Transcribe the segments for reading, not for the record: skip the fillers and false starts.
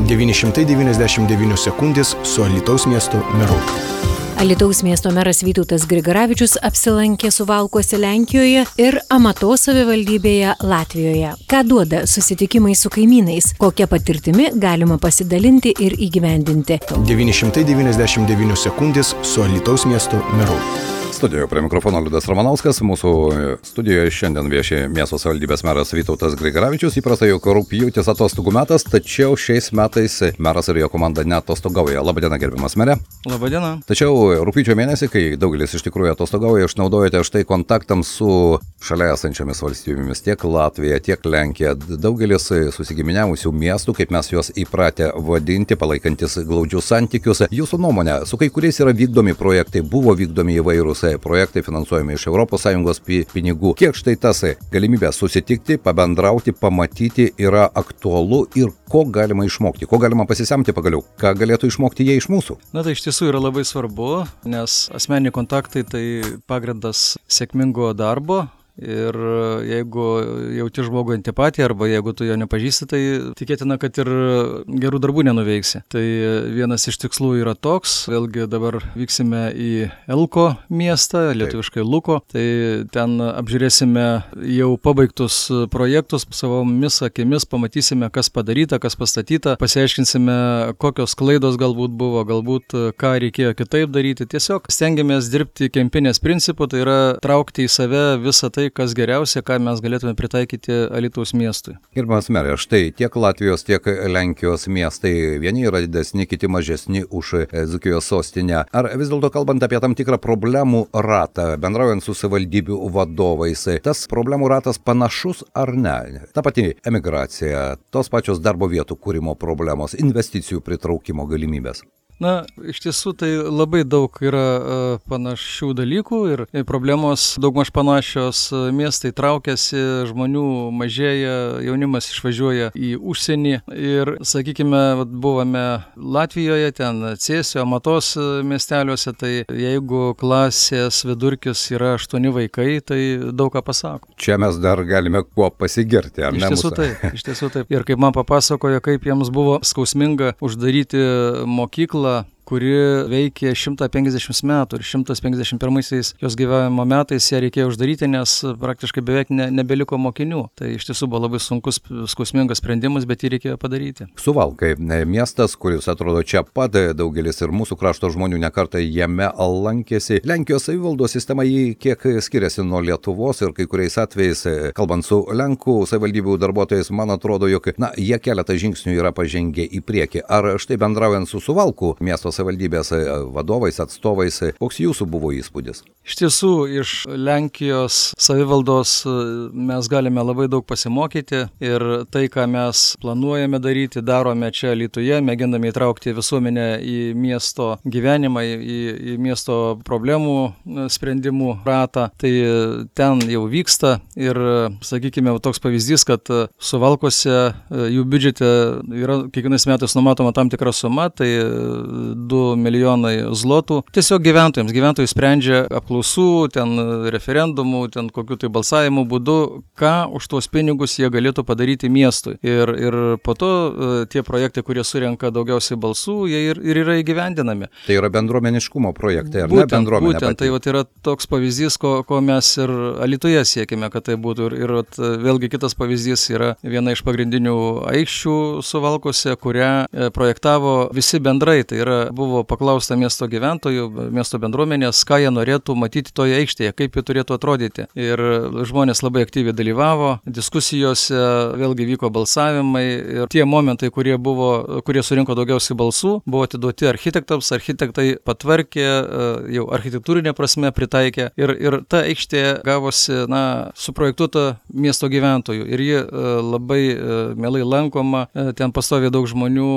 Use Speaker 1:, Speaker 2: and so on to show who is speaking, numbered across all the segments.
Speaker 1: 999 sekundės su Alytaus miesto meru.
Speaker 2: Alytaus miesto meras Vytautas Grigaravičius apsilankė Suvalkuose Lenkijoje ir Amatos savivaldybėje Latvijoje. Ką duoda susitikimai su kaimynais, kokia patirtimi galima pasidalinti ir įgyvendinti.
Speaker 1: 999 sekundės su Alytaus miesto meru.
Speaker 3: Studijoje prie mikrofono Liudas Ramanauskas. Mūsų studijoje šiandien vieši miesto savivaldybės meras Vytautas Grigaravičius. Įprasta, jog rugpjūtis atostogų metas, tačiau šiais metais meras ir jo komanda neatostogauja. Labadiena, gerbiamas mere.
Speaker 4: Labadiena.
Speaker 3: Tačiau rugpjūčio mėnesį, kai daugelis iš tikrųjų atostogauja, išnaudojate štai kontaktams su šalia esančiomis valstybėmis, tiek Latvija, tiek Lenkija. Daugelis susigiminiavusių miestų, kaip mes juos įpratę vadinti, palaikantis glaudžius santykius. Jūsų nuomonė, su kai kuriais yra vykdomi projektai, buvo vykdomi įvairūs projektai finansuojami iš ES pinigų. Kiek štai tas galimybė susitikti, pabendrauti, pamatyti yra aktualu ir ko galima išmokti, ko galima pasisemti pagaliau, ką galėtų išmokti jie iš mūsų?
Speaker 4: Na tai iš tiesų yra labai svarbu, nes asmeniniai kontaktai tai pagrindas sėkmingo darbo. Ir jeigu jauti žmogų antipatiją arba jeigu tu jo nepažįsti, tai tikėtina, kad ir gerų darbų nenuveiksi. Tai vienas iš tikslų yra toks, vėlgi dabar vyksime į Elko miestą, lietuviškai Luko, tai ten apžiūrėsime jau pabaigtus projektus, savomis akimis pamatysime, kas padaryta, kas pastatyta, pasiaiškinsime, kokios klaidos galbūt buvo, galbūt ką reikėjo kitaip daryti. Tiesiog stengiamės dirbti kempinės principu, tai yra traukti į save visą tai, kas geriausia, ką mes galėtume pritaikyti Alytaus miestui.
Speaker 3: Gerbiamas mere, štai tiek Latvijos, tiek Lenkijos miestai, vieni yra didesni, kiti mažesni už Dzūkijos sostinę. Ar vis dėlto kalbant apie tam tikrą problemų ratą, bendraujant su savivaldybių vadovais, tas problemų ratas panašus ar ne? Ta pati emigracija, tos pačios darbo vietų kūrimo problemos, investicijų pritraukimo galimybės.
Speaker 4: Na, iš tiesų tai labai daug yra panašių dalykų ir problemos daugmaž panašios. Miestai traukiasi, žmonių mažėja, jaunimas išvažiuoja į užsienį ir, sakykime, buvome Latvijoje, ten Cėsio, Amatos miesteliuose, tai jeigu klasės vidurkis yra 8 vaikai, tai daug ką pasako.
Speaker 3: Čia mes dar galime kuo pasigirti, ar ne?
Speaker 4: Iš tiesų taip. Ir kaip man papasakojo, kaip jiems buvo skausminga uždaryti mokyklą, kuri veikė 150 metų ir 151 jos gyvenimo metais ją reikėjo uždaryti, nes praktiškai beveik nebeliko mokinių. Tai iš tiesų buvo labai sunkus, skausmingas sprendimas, bet jį reikėjo padaryti.
Speaker 3: Suvalkai, miestas, kuris atrodo čia pat, daugelis ir mūsų krašto žmonių nekartą jame lankėsi. Lenkijos savivaldos sistema jį kiek skiriasi nuo Lietuvos ir kai kuriais atvejais, kalbant su Lenkų savivaldybių darbuotojais, man atrodo, jog jie keletą žingsnių yra pažengę į priekį. Ar štai bendraujant su Suvalkų miesto savivaldybės vadovais, atstovais, koks jūsų buvo įspūdis?
Speaker 4: Iš tiesų, iš Lenkijos savivaldos mes galime labai daug pasimokyti ir tai, ką mes planuojame daryti, darome čia Alytuje, mėgindami įtraukti visuomenę į miesto gyvenimą, į miesto problemų sprendimų ratą, tai ten jau vyksta ir, sakykime, toks pavyzdys, kad Suvalkuose jų biudžete yra kiekvienais metais numatoma tam tikra suma, tai 2 milijonai zlotų. Tiesiog gyventojai sprendžia apklausų, ten referendumų, ten kokių tai balsavimų būdu, ką už tuos pinigus jie galėtų padaryti miestui. Ir po to tie projektai, kurie surenka daugiausiai balsų, jie ir yra įgyvendinami.
Speaker 3: Tai yra bendruomeniškumo projektai, ar ne bendruomenė pati?
Speaker 4: Būtent, tai vat yra toks pavyzdys, ko mes ir Alytuje siekime, kad tai būtų. Ir vėlgi kitas pavyzdys yra viena iš pagrindinių aikščių Suvalkuose, kurią projektavo visi bendrai. Tai yra, buvo paklausta miesto gyventojų, miesto bendruomenės, ką jie norėtų matyti toje aikštėje, kaip jie turėtų atrodyti. Ir žmonės labai aktyviai dalyvavo, diskusijose vėlgi vyko balsavimai ir tie momentai, kurie surinko daugiausiai balsų, buvo atiduoti architektams, architektai patvarkė, jau architektūrinė prasme pritaikė ir ta aikštė gavosi, suprojektuota miesto gyventojų ir ji labai mielai lankoma, ten pastoviai daug žmonių,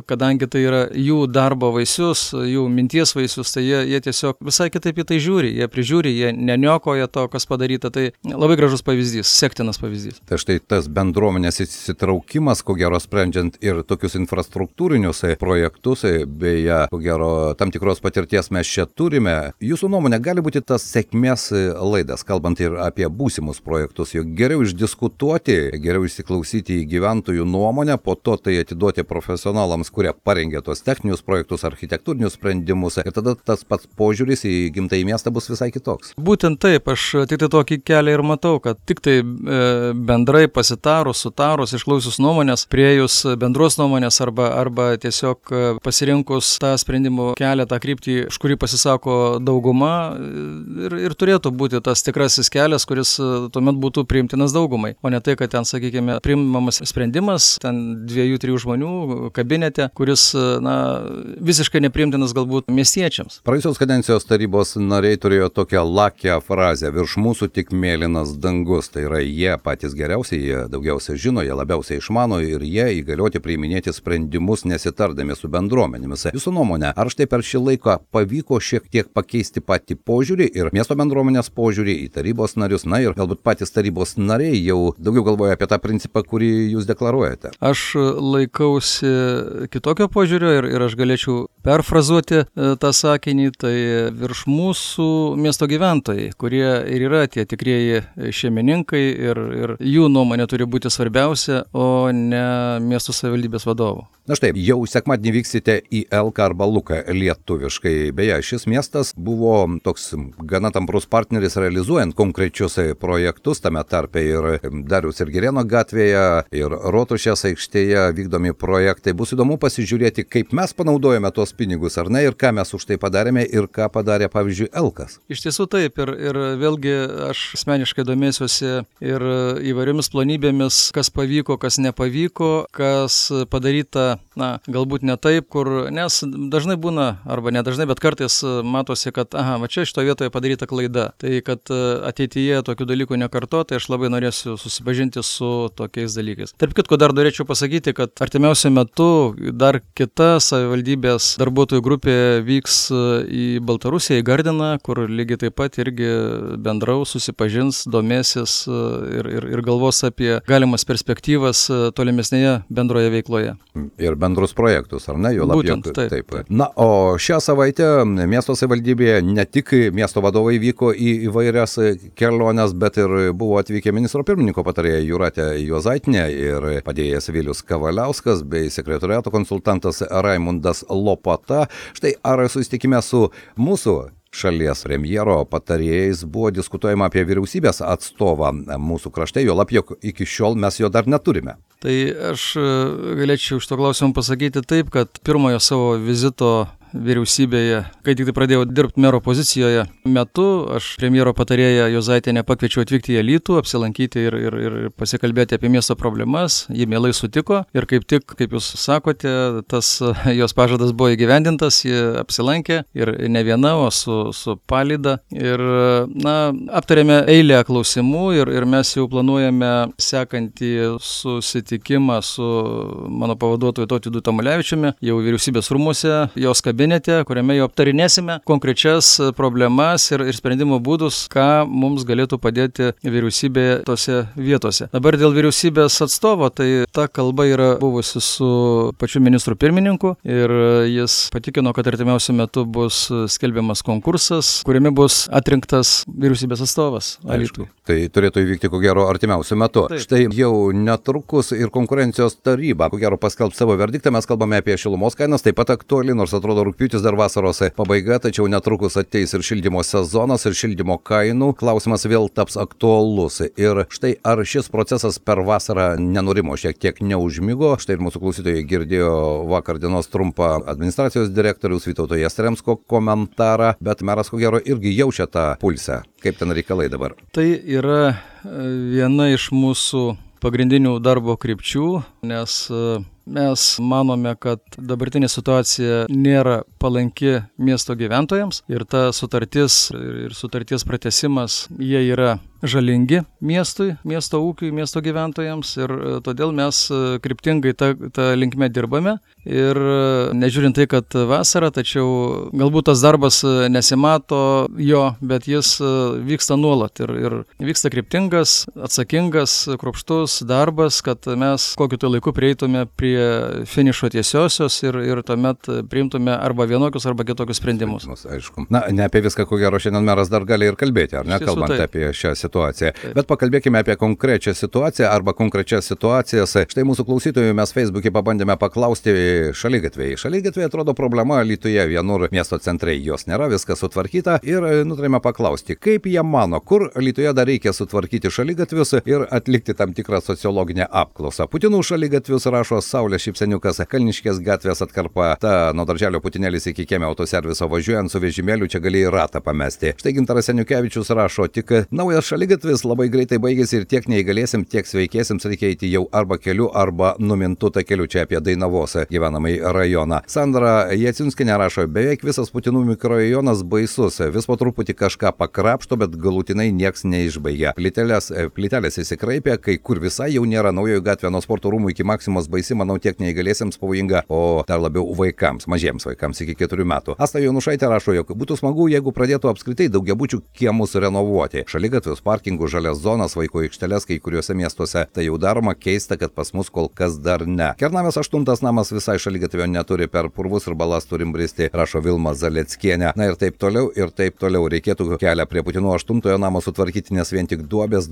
Speaker 4: kadangi tai yra jų darbo vaisius, jų minties vaisius, tai jie tiesiog visai kitaip į tai žiūri, jie prižiūri, jie neniokoja to, kas padaryta. Tai labai gražus pavyzdys, sektinas pavyzdys.
Speaker 3: Tai štai tas bendruomenės įsitraukimas, ko gero sprendžiant ir tokius infrastruktūrinius projektus, beje, ko gero tam tikros patirties mes čia turime. Jūsų nuomonė gali būti tas sėkmės laidas, kalbant ir apie būsimus projektus, juk geriau išdiskutuoti, geriau įsiklausyti į gyventojų nuomonę, po to tai atiduoti profesionalams, kurie parengė tos techninius projektus, architektūrinius sprendimus, ir tada tas pats požiūris į gimtąjį miestą bus visai kitoks.
Speaker 4: Būtent taip, aš tik tai tokį kelią ir matau, kad tik tai bendrai pasitarus, sutarus, išklausius nuomonės, priejus bendros nuomonės arba tiesiog pasirinkus tą sprendimų kelią, tą kryptį, už kurį pasisako dauguma, ir turėtų būti tas tikrasis kelias, kuris tuomet būtų priimtinas daugumai, o ne tai, kad ten, sakykime, priimamas sprendimas, ten 2-3 žmonių kabinete, kuris, visiškai nepriimtinas galbūt miestiečiams.
Speaker 3: Praėjusios kadencijos tarybos nariai turėjo tokią lakią frazę: virš mūsų tik mėlynas dangus. Tai yra, jie patys geriausiai, jie daugiausiai žino, jie labiausiai išmano ir jie įgalioti priiminėti sprendimus nesitardami su bendruomenėmis. Jūsų nuomonė, ar štai per šį laiką pavyko šiek tiek pakeisti patį požiūrį ir miesto bendruomenės požiūrį į tarybos narius, ir galbūt patys tarybos nariai jau daugiau galvoja apie tą principą, kurį jūs deklaruojate?
Speaker 4: Aš laikausi kitokio požiūrio ir aš galėčiau perfrazuoti tą sakinį, tai virš mūsų miesto gyventojai, kurie ir yra tie tikrieji šeimininkai ir jų nuomonė turi būti svarbiausia, o ne miesto savivaldybės vadovų.
Speaker 3: Na štai, jau sekmadienį vyksite į Elką arba Luką lietuviškai. Beje, šis miestas buvo toks gana tamprus partneris realizuojant konkrečius projektus, tame tarpe ir Dariaus ir Girėno gatvėje, ir Rotušės aikštėje vykdomi projektai. Bus įdomu pasižiūrėti, kaip mes panaudojame tuos pinigus, ar ne, ir ką mes už tai padarėme, ir ką padarė, pavyzdžiui, Elkas.
Speaker 4: Iš tiesų taip, ir vėlgi aš asmeniškai domėsiuosi ir įvairiomis plonybėmis, kas pavyko, kas nepavyko, kas padaryta, galbūt ne taip, nes dažnai būna, arba nedažnai, bet kartais matosi, kad va čia šito vietoje padaryta klaida. Tai kad ateityje tokių dalykų nekartoti, aš labai norėsiu susipažinti su tokiais dalykais. Tarp kitko, dar norėčiau pasakyti, kad artimiausiu metu dar kita savivaldybės darbuotojų grupė vyks į Baltarusiją, į Gardiną, kur lygiai taip pat irgi bendraus, susipažins, domėsis ir galvos apie galimas perspektyvas tolimesnėje bendroje veikloje.
Speaker 3: Ir bendrus projektus, ar ne?
Speaker 4: Būtent, taip.
Speaker 3: Na, o šią savaitę miesto savivaldybėje ne tik miesto vadovai vyko į įvairias keliones, bet ir buvo atvykę ministro pirmininko patarėja Jūratė Juozaitinė ir padėjėjas Vilius Kavaliauskas bei sekretoriato konsultantas Raimundas Lopata. Štai, ar susitikime su mūsų šalies premjero patarėjais buvo diskutuojama apie vyriausybės atstovą mūsų krašte, juolab jog iki šiol mes jo dar neturime.
Speaker 4: Tai aš galėčiau iš to klausimą pasakyti taip, kad pirmojo savo vizito vyriausybėje, kai tik tai pradėjau dirbti mero pozicijoje metu, aš premjero patarėją Juozaitienę pakviečiau atvykti į Alytų, apsilankyti ir pasikalbėti apie miesto problemas. Ji mielai sutiko ir kaip tik, kaip jūs sakote, tas jos pažadas buvo įgyvendintas, ji apsilankė ir ne viena, o su palyda. Ir aptarėme eilę klausimų ir mes jau planuojame sekantį susitikimą su mano pavaduotoju Tautvydu Tamulevičiumi jau vyriausybės rūmuose, jos kabinete, kuriame jau aptarinėsime konkrečias problemas ir sprendimo būdus, ką mums galėtų padėti vyriausybė tose vietose. Dabar dėl vyriausybės atstovo, tai ta kalba yra buvusi su pačiu ministru pirmininku ir jis patikino, kad artimiausiu metu bus skelbiamas konkursas, kuriame bus atrinktas vyriausybės atstovas Alytui.
Speaker 3: Tai turėtų įvykti, ko gero, artimiausiu metu.
Speaker 4: Taip.
Speaker 3: Štai jau netrukus ir konkurencijos taryba, ko gero, paskelbs savo verdiktą. Mes kalbame apie šilumos kainas, taip pat aktuali, nors atrodo rugpjūtis dar vasaros pabaiga, tačiau netrukus ateis ir šildymo sezonas, ir šildymo kainų klausimas vėl taps aktualus. Ir štai, ar šis procesas per vasarą nenurimo, šiek tiek neužmigo. Štai ir mūsų klausytojai girdėjo vakar dienos trumpą administracijos direktoriaus Vytauto Jastremsko komentarą, bet meras, ko gero, irgi jaučia tą pulsę. Kaip ten reikalai dabar?
Speaker 4: Tai yra viena iš mūsų pagrindinių darbo krypčių, nes mes manome, kad dabartinė situacija nėra palanki miesto gyventojams ir ta sutartis ir sutarties pratęsimas, jie yra žalingi miesto ūkiui, miesto gyventojams ir todėl mes kryptingai tą linkme dirbame ir nežiūrint tai, kad vasara, tačiau galbūt tas darbas nesimato jo, bet jis vyksta nuolat ir vyksta kryptingas, atsakingas, kruopštus darbas, kad mes kokiu tai laiku prieitume prie finišo tiesiosios ir tuomet priimtume arba vienokius, arba kitokius sprendimus.
Speaker 3: Aišku. Na, ne apie viską, ko gero, šiandien meras dar gali ir kalbėti, ar ne, kalbant apie šią situaciją. Taip. Bet pakalbėkime apie konkrečią situaciją arba konkrečias situacijas. Štai mūsų klausytojų mes Facebook'e pabandėme paklausti šaligatviai. Šaligatviai atrodo problema Alytuje, vienur miesto centrai jos nėra, viskas sutvarkyta ir nutarėme paklausti, kaip jie mano, kur Alytuje dar reikia sutvarkyti šaligatvius ir atlikti tam tikrą sociologinę apklausą. Putinų šaligatvius rašo Saulės Šypseniukas, Kalniškės gatvės atkarpa, ta nuo darželio Putinėlis iki kiemio autoserviso važiuojant su vežimėliu čia galėjai ratą pamesti. Štai Gintaras Seniukevičius rašo, tik naujas šaligatvis labai greitai baigėsi ir tiek neįgalėsim, tiek sveikėsims reikia eiti jau arba keliu, arba numintų takeliu, čia apie Dainavos gyvenamąjį rajoną. Sandra Jaciunskinė rašo, beveik visas Putinų mikrorajonas baisus, vis po truputį kažką pakrapšto, bet galutinai nieks neišbaigia. Plytelės įsikraipė, kai kur visai jau nėra, naujoji gatvė nuo sporto rūmų iki Maksimos baisi, manau, tiek neįgalėsims pavojinga, o dar labiau vaikams, mažiems vaikams iki 4 metų. Asta Jonušaitė rašo, jog būtų smagu, jeigu pradėtų apskritai daugiabučių kiemus renovuoti. Šaligatvius, parkingų, žalias zonas, vaiko aikšteles kai kuriuose miestuose. Tai jau daroma, keista, kad pas mus kol kas dar ne. Kernavės 8 namas visai šaligatvio neturi, per purvus ir balas turim bristi, rašo Vilma Zaleckienė. Na ir taip toliau, ir taip toliau. Reikėtų kelią prie Putinų 8 namo sutvarkyti, nes vien tik duobės,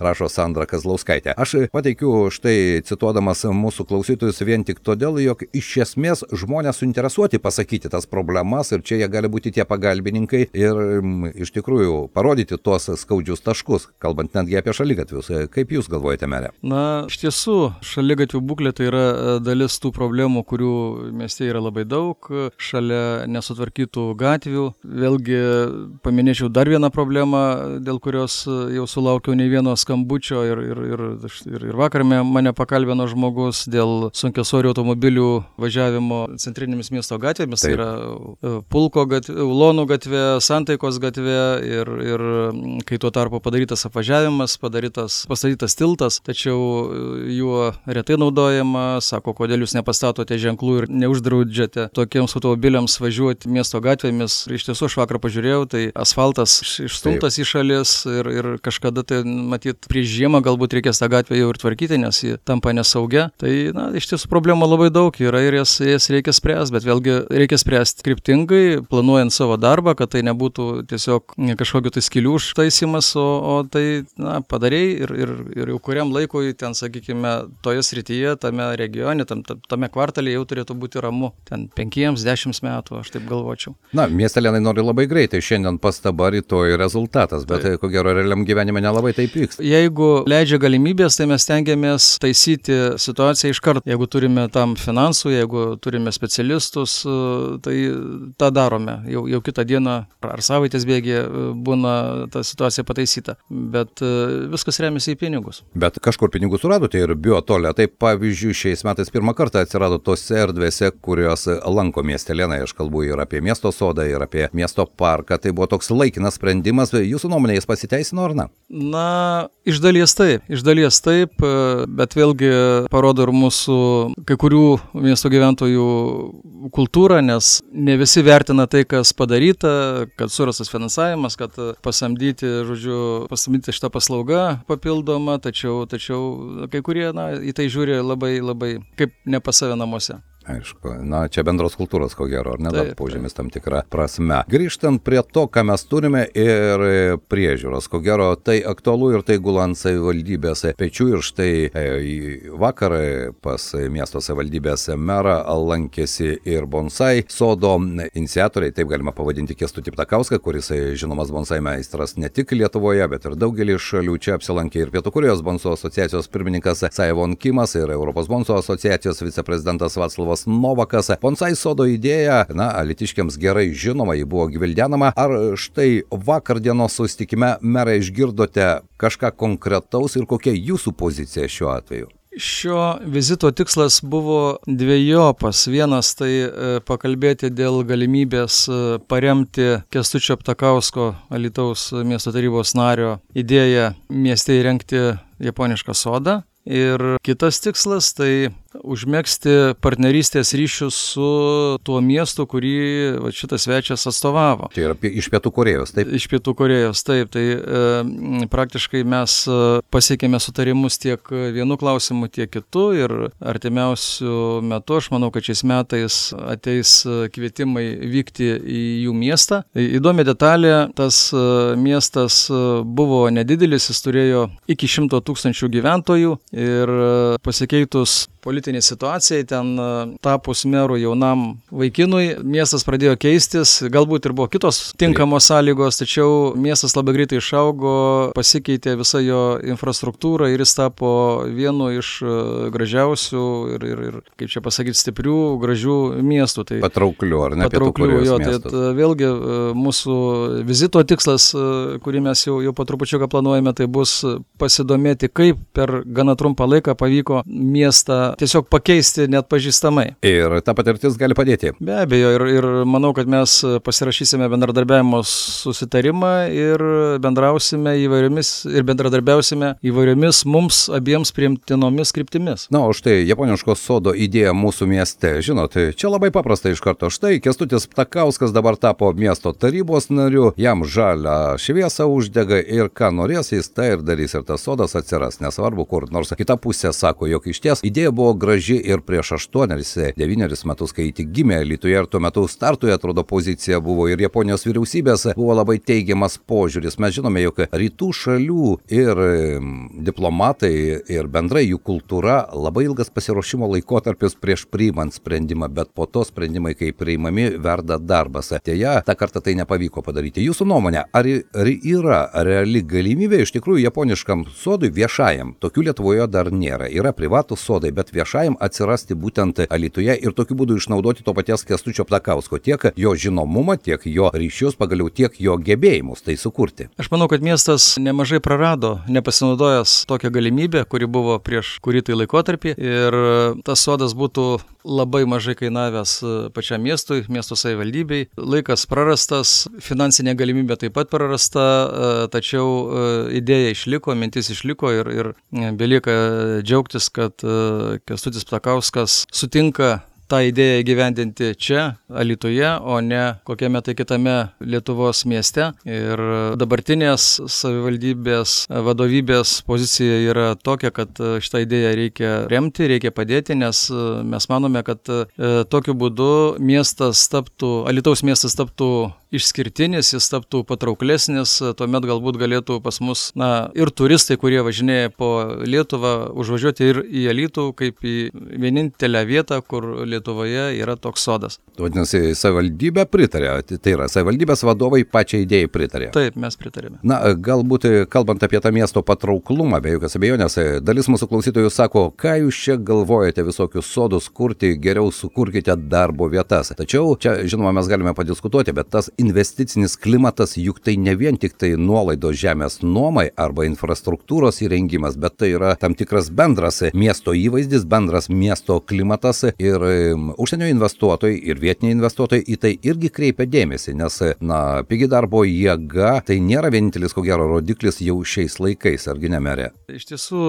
Speaker 3: rašo Sandra Kazlauskaitė. Aš pateikiu štai cituodamas mūsų klausytojus vien tik todėl, jog iš esmės žmonės suinteresuoti pasakyti tas problemas ir čia jie gali būti tie pagalbininkai ir iš tikrųjų parodyti tuos skaudžius taškus, kalbant netgi apie šaligatvius. Kaip jūs galvojate, mere?
Speaker 4: Na, iš tiesų, šaligatvių būklė tai yra dalis tų problemų, kurių mieste yra labai daug, šalia nesutvarkytų gatvių. Vėlgi paminėčiau dar vieną problemą, dėl kurios jau sulaukiau ne vieno skambučio ir vakar mane pakalbino žmogus dėl sunkiasvorių automobilių važiavimo centrinėmis miesto gatvėmis. Tai yra Pulko gatvė, Ulonų gatvė, Santaikos gatvė ir kai tuo tarpu padarytas apvažiavimas, pastatytas tiltas, tačiau juo retai naudojama, sako, kodėl jūs nepastatote ženklų ir neuždraudžiate tokiems automobiliams važiuoti miesto gatvėmis. Iš tiesų, aš vakar pažiūrėjau, tai asfaltas išstumtas į šalis ir kažkada tai, matyt, prieš žiemą galbūt reikės tą gatvę jau ir tvarkyti, nes ji tampa nesaugia. Tai, na, iš tiesų problemų labai daug yra ir jas reikia spręsti, bet vėlgi reikia spręsti kryptingai, planuojant savo darbą, kad tai nebūtų tiesiog kažkokiu tai skylių užtaisimas, o tai, na, padarei ir jau kuriam laikui ten, sakykime, toje srityje, tame regione, tame kvartalė jau turėtų būti ramu. Ten 5-10 metų, aš taip galvočiau.
Speaker 3: Na, miestelėnai nori labai greitai, šiandien pastaba, rytoj rezultatas, bet ko gero realiam gyvenime nelabai taip vyksta.
Speaker 4: Jeigu leidžia galimybės, tai mes stengiamės taisyti situaciją iš karto. Jeigu turime tam finansų, jeigu turime specialistus, tai tą darome. Jau kitą dieną ar savaitės bėgyje būna ta situacija pataisyta. Bet viskas remiasi į pinigus.
Speaker 3: Bet kažkur pinigus suradote ir biotolė. Tai pavyzdžiui, šiais metais pirmą kartą atsirado tose erdvėse, kurios lanko miestelėnai. Aš kalbu ir apie miesto sodą, ir apie miesto parką. Tai buvo toks laikinas sprendimas. Jūsų nuomonė, jis pasiteisino ar ne?
Speaker 4: Na, iš dalies taip, bet vėlgi parodo ir mūsų kai kurių miesto gyventojų kultūrą, nes ne visi vertina tai, kas padaryta, kad surastas finansavimas, kad pasamdyti šitą paslaugą papildomą, tačiau kai kurie, na, į tai žiūri labai kaip ne pas save namuose.
Speaker 3: Aišku, na, čia bendros kultūros, ko gero, ar ne, dar požymis tam tikrą prasme. Grįžtant prie to, ką mes turime ir priežiūros, ko gero, tai aktualu ir tai gula ant savivaldybės pečių ir štai vakar pas miesto savivaldybės merą lankėsi ir bonsai sodo iniciatoriai, taip galima pavadinti Kęstutį Ptakauską, kuris žinomas bonsai meistras ne tik Lietuvoje, bet ir daugelį šalių. Čia apsilankė ir Pietų Korėjos bonso asociacijos pirmininkas Saevon Kimas ir Europos bonso asociacijos viceprezidentas Vaclavas Novakas. Bonsai sodo idėja, na, alytiškiams gerai žinoma, ji buvo gvildenama. Ar štai vakar dienos susitikime, merai, išgirdote kažką konkretaus ir kokia jūsų pozicija šiuo atveju?
Speaker 4: Šio vizito tikslas buvo dvejopas. Vienas tai pakalbėti dėl galimybės paremti Kęstučio Ptakausko, Alytaus miesto tarybos nario, idėją mieste įrengti japonišką sodą. Ir kitas tikslas tai užmegzti partnerystės ryšius su tuo miestu, kurį šitas svečias atstovavo.
Speaker 3: Tai yra iš Pietų Korėjos, taip?
Speaker 4: Iš Pietų Korėjos, taip. Tai praktiškai mes pasiekėme sutarimus tiek vienu klausimu, tiek kitu ir artimiausių metų, aš manau, kad šiais metais ateis kvietimai vykti į jų miestą. Įdomi detalė, tas miestas buvo nedidelis, jis turėjo iki 100 000 gyventojų ir pasikeitus politiniai situacijai, ten tapus merų jaunam vaikinui, miestas pradėjo keistis, galbūt ir buvo kitos tinkamos sąlygos, tačiau miestas labai greitai išaugo, pasikeitė visa jo infrastruktūra ir jis tapo vienu iš gražiausių ir kaip čia pasakyti, stiprių, gražių miestų. Tai
Speaker 3: patrauklių, ar ne?
Speaker 4: Patrauklių, jo. Tai vėlgi mūsų vizito tikslas, kurį mes jau po trupučiuką planuojame, tai bus pasidomėti, kaip per gana trumpą laiką pavyko miestą tiesiog pakeisti net pažįstamai.
Speaker 3: Ir ta patirtis gali padėti.
Speaker 4: Be abejo, ir manau, kad mes pasirašysime bendradarbiavimo susitarimą ir bendradarbiausime įvairiomis mums abiems priimtinomis kryptimis.
Speaker 3: Na, o štai japoniško sodo idėja mūsų mieste. Žinot, čia labai paprasta iš karto. Štai Kęstutis Ptakauskas dabar tapo miesto tarybos nariu, jam žalią šviesą uždega ir ką norės, jis tai ir darys ir tas sodas atsiras. Nesvarbu kur, nors kita pusė sako, jog iš ties idėja buvo graži ir prieš 8-9 metus, kai tik gimė Alytuje ir tuo metu startui atrodo pozicija buvo ir Japonijos vyriausybės buvo labai teigiamas požiūris. Mes žinome, jog rytų šalių ir diplomatai ir bendrai jų kultūra labai ilgas pasiruošimo laikotarpis prieš priimant sprendimą, bet po to sprendimai, kai priimami, verda darbas. Deja, tą kartą tai nepavyko padaryti. Jūsų nuomonė, ar yra reali galimybė iš tikrųjų japoniškam sodui viešajam? Tokių Lietuvoje dar nėra. Yra privatų sodai, bet viešajam atsirasti būtent Alytuje ir tokiu būdu išnaudoti to paties Kęstučio Ptakausko tiek jo žinomumą, tiek jo ryšius, pagaliau tiek jo gebėjimus tai sukurti.
Speaker 4: Aš manau, kad miestas nemažai prarado, nepasinaudojęs tokią galimybę, kuri buvo prieš kurį tai laikotarpį ir tas sodas būtų labai mažai kainavęs pačiam miestui, miesto savivaldybei. Laikas prarastas, finansinė galimybė taip pat prarasta, tačiau idėja išliko, mintis išliko ir belieka džiaugtis, kad Kęstutis Ptakauskas sutinka tą idėją įgyvendinti čia, Alytuje, o ne kokiame tai kitame Lietuvos mieste. Ir dabartinės savivaldybės vadovybės pozicija yra tokia, kad šitą idėją reikia remti, reikia padėti, nes mes manome, kad tokiu būdu Alytaus miestas taptų išskirtinis, jis taptų patrauklesnis, tuomet galbūt galėtų pas mus ir turistai, kurie važinėja po Lietuvą, užvažiuoti ir į Alytų kaip į vienintelę vietą, kur Lietuvoje yra toks sodas.
Speaker 3: Vadinasi, savivaldybė pritarė, tai yra savivaldybės vadovai pačiai idėjai pritarė.
Speaker 4: Taip, mes pritarėme.
Speaker 3: Na, galbūt kalbant apie tą miesto patrauklumą, be jokios abejonės, dalis mūsų klausytojų sako, ką jūs čia galvojate visokius sodus kurti, geriau sukurkite darbo vietas. Tačiau čia, žinoma, mes galime padiskutuoti, bet tas investicinis klimatas juk tai ne vien tik tai nuolaidos žemės nuomai arba infrastruktūros įrengimas, bet tai yra tam tikras bendras miesto įvaizdis, bendras miesto klimatas ir užsienio investuotojai ir vietiniai investuotojai į tai irgi kreipia dėmesį, nes, pigi darbo jėga tai nėra vienintelis, ko gero, rodiklis jau šiais laikais, argi ne, merė?
Speaker 4: Iš tiesų,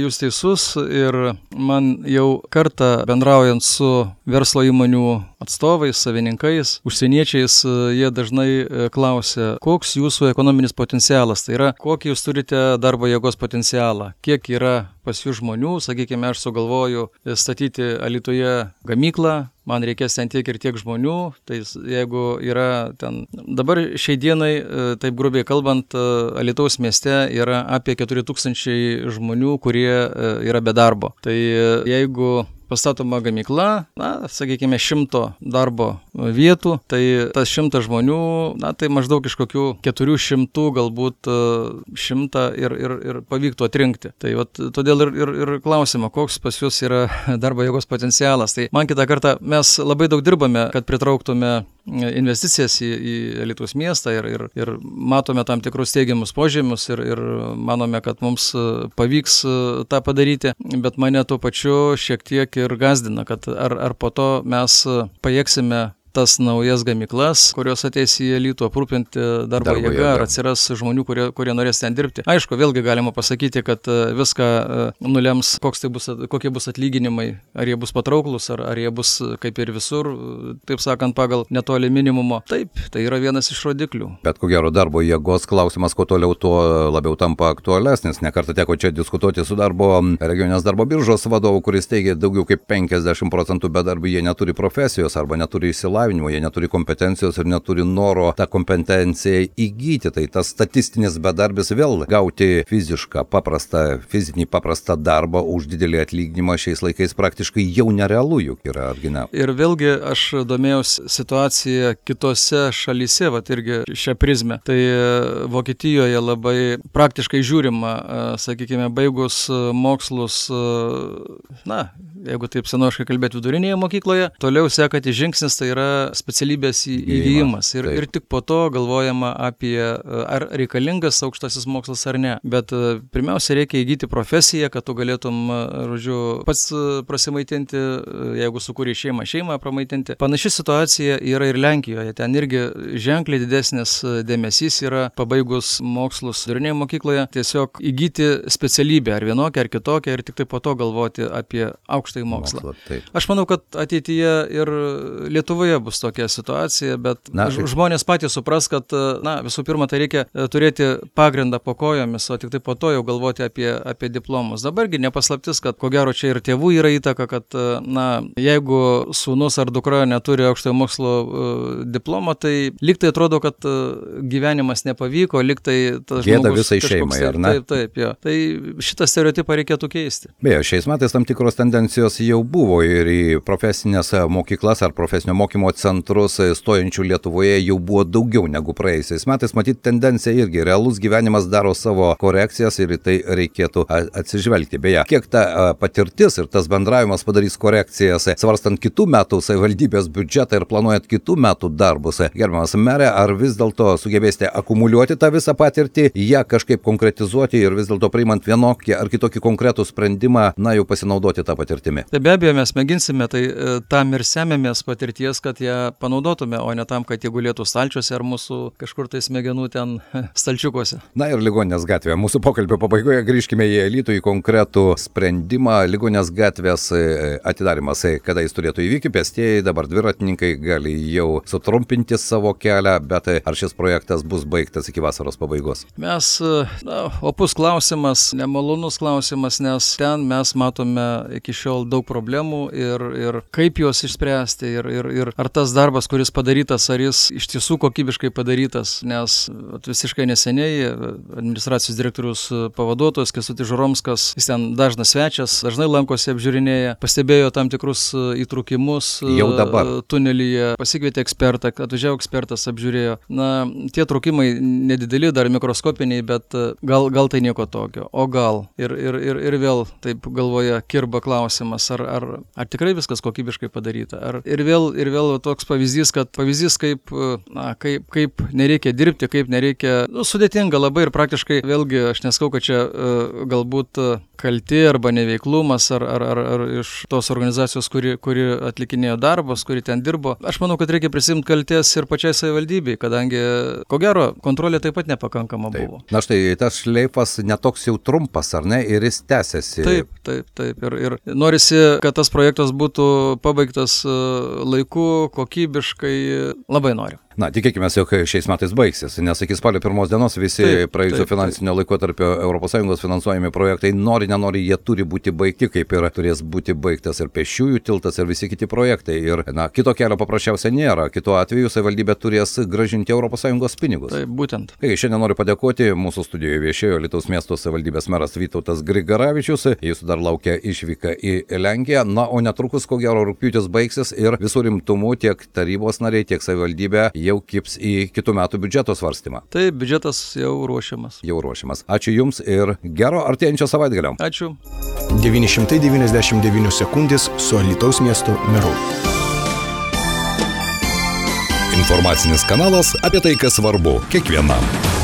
Speaker 4: jūs teisus ir man jau kartą bendraujant su verslo įmonių atstovais, savininkais, užsieniečiais, jie dažnai klausia, koks jūsų ekonominis potencialas, tai yra, kokį jūs turite darbo jėgos potencialą, kiek yra pas jų žmonių, sakykime, aš sugalvoju statyti Alytuje gamyklą, man reikės ten tiek ir tiek žmonių, tai jeigu yra ten, dabar šiai dienai, taip grubiai kalbant, Alytaus mieste yra apie 4000 žmonių, kurie yra be darbo. Tai jeigu pastatoma gamykla, sakykime, 100 darbo vietų, tai tas 100 žmonių, tai maždaug iš kokių 400, galbūt 100 ir pavyktų atrinkti. Tai todėl ir klausima, koks pas jūs yra darbo jėgos potencialas. Tai man kitą kartą mes labai daug dirbame, kad pritrauktume investicijas į Alytaus miestą ir matome tam tikrus teigiamus požymius ir manome, kad mums pavyks tą padaryti, bet mane tuo pačiu šiek tiek ir gazdina, kad ar po to mes pajėgsime tas naujas gamyklas, kurios ateis į Alytų aprūpinti darbo jėga, ar atsiras žmonių, kurie norės ten dirbti. Aišku, vėlgi galima pasakyti, kad viską nulems, kokie bus atlyginimai, ar jie bus patrauklus, ar jie bus kaip ir visur, taip sakant, pagal netoli minimumo. Taip, tai yra vienas iš rodiklių.
Speaker 3: Bet ko gero darbo jėgos klausimas, kuo toliau, tuo labiau tampa aktualesnis. Nekartą teko čia diskutuoti su regioninės darbo biržos vadovu, kuris teigia, daugiau kaip 50% bedarbių jie neturi profesijos arba neturi išsilavinimo. Jie neturi kompetencijos ir neturi noro tą kompetenciją įgyti. Tai tas statistinis bedarbis vėl gauti fizinį paprastą darbą už didelį atlyginimą šiais laikais praktiškai jau nerealu juk yra, argi ne?
Speaker 4: Ir vėlgi aš domėjausi situaciją kitose šalyse, irgi šią prizmę. Tai Vokietijoje labai praktiškai žiūrima, sakykime, baigus mokslus, jeigu taip senoviškai kalbėti, vidurinėje mokykloje, toliau sekantis žingsnis tai yra specialybės įgijimas. Ir tik po to galvojama apie, ar reikalingas aukštasis mokslas ar ne. Bet pirmiausia, reikia įgyti profesiją, kad tu galėtum, pats prasimaitinti, jeigu sukūrė šeimą pramaitinti. Panaši situacija yra ir Lenkijoje. Ten irgi ženkliai didesnis dėmesys yra pabaigus mokslus vidurinėje mokykloje, tiesiog įgyti specialybę, ar vienokią, ar kitokią, ir tik tai po to galvoti apie aukštąjį mokslą. Aš manau, kad ateityje ir Lietuvoje bus tokia situacija, bet žmonės patys supras, kad visų pirma, tai reikia turėti pagrindą po kojomis, o tik tai po to jau galvoti apie diplomus. Dabargi nepaslaptis, kad ko gero čia ir tėvų yra įtaka, kad jeigu sūnus ar dukra neturi aukštojo mokslo diplomo, tai lyg tai atrodo, kad gyvenimas nepavyko, lyg tai tas
Speaker 3: gėda visai šeimai, ar ne?
Speaker 4: Taip. Tai šitą stereotipą reikėtų keisti.
Speaker 3: Beje, šiais metais tam tikros tendencijos jau buvo ir į profesinės mokyklas ar profesinio mokymo centrus stojančių Lietuvoje jau buvo daugiau negu praėjusiais metais. Matyt, tendencija irgi, realus gyvenimas daro savo korekcijas ir į tai reikėtų atsižvelgti. Beje, kiek ta patirtis ir tas bendravimas padarys korekcijas, svarstant kitų metų savivaldybės biudžetą ir planuojant kitų metų darbus. Gerbiamas merė, ar vis dėlto sugebėsite akumuliuoti tą visą patirtį, ją kažkaip konkretizuoti ir vis dėlto priimant vienokį ar kitokį konkretų sprendimą, jau pasinaudoti tą patirtimį?
Speaker 4: Tai be abejo, mes mėginsime, tai tam ir semėmės patirties, kad ją panaudotume, o ne tam, kad jie gulėtų stalčiuose ar mūsų kažkur tai smegenų ten stalčiukuose.
Speaker 3: Ir Ligoninės gatvėje. Mūsų pokalbio pabaigoje grįžkime į Alytų, į konkretų sprendimą. Ligoninės gatvės atidarimas, kada jis turėtų įvykti, pėstieji, dabar dviratininkai gali jau sutrumpinti savo kelią, bet ar šis projektas bus baigtas iki vasaros pabaigos?
Speaker 4: Mes, opus klausimas, nemalonus klausimas, nes ten mes matome iki šiol daug problemų ir kaip juos išspręsti ir ar tas darbas, kuris padarytas, ar jis iš tiesų kokybiškai padarytas, nes visiškai neseniai administracijos direktorius pavaduotojas Kęstutis Žuromskas, jis ten dažnas svečias, dažnai lankosi apžiūrinėja, pastebėjo tam tikrus įtrūkimus tunelyje, pasikvietė ekspertą, atvažiavo ekspertas, apžiūrėjo. Tie trūkimai nedideli, dar mikroskopiniai, bet gal tai nieko tokio, o gal. Ir vėl taip galvoja kirba klausimas, ar tikrai viskas kokybiškai padaryta. Ir vėl toks pavyzdys, kaip nereikia dirbti, kaip nereikia, sudėtinga labai ir praktiškai, vėlgi, aš neskau, kad čia galbūt kalti arba neveiklumas ar iš tos organizacijos, kuri atlikinėjo darbus, kuri ten dirbo. Aš manau, kad reikia prisimti kaltės ir pačiai savivaldybei, kadangi, ko gero, kontrolė taip pat nepakankama buvo.
Speaker 3: Štai tas šleifas netoks jau trumpas, ar ne, ir jis tęsiasi.
Speaker 4: Taip. Ir norisi, kad tas projektas būtų pabaigtas laiku, kokybiškai, labai noriu.
Speaker 3: Tikėkime, jog šiais metais baigsis, nes iki spalio 1 dienos visi praėjusio finansinio laikotarpio ES finansuojami projektai, nenori, jie turi būti baigti, kaip ir turės būti baigtas ir pėsčiųjų tiltas ir visi kiti projektai. Ir kito kelio paprasčiausiai nėra. Kitu atveju savivaldybė turės grąžinti ES pinigus.
Speaker 4: Taip, būtent.
Speaker 3: Šiandien noriu padėkoti, mūsų studijoje viešėjo Alytaus miesto savivaldybės meras Vytautas Grigaravičius. Jūsų dar laukia išvyka į Lenkiją. O netrukus, ko gero, rugpjūtis baigsis ir visų rimtumų tiek tarybos nariai, tiek savivaldybė jau kips į kitų metų biudžeto svarstymą.
Speaker 4: Taip, biudžetas jau ruošiamas.
Speaker 3: Ačiū Jums ir gero artėjančio savaitgalio.
Speaker 4: Ačiū.
Speaker 1: 999 sekundės su Alytaus miesto meru.
Speaker 3: Informacinis kanalas apie tai, kas svarbu kiekvienam.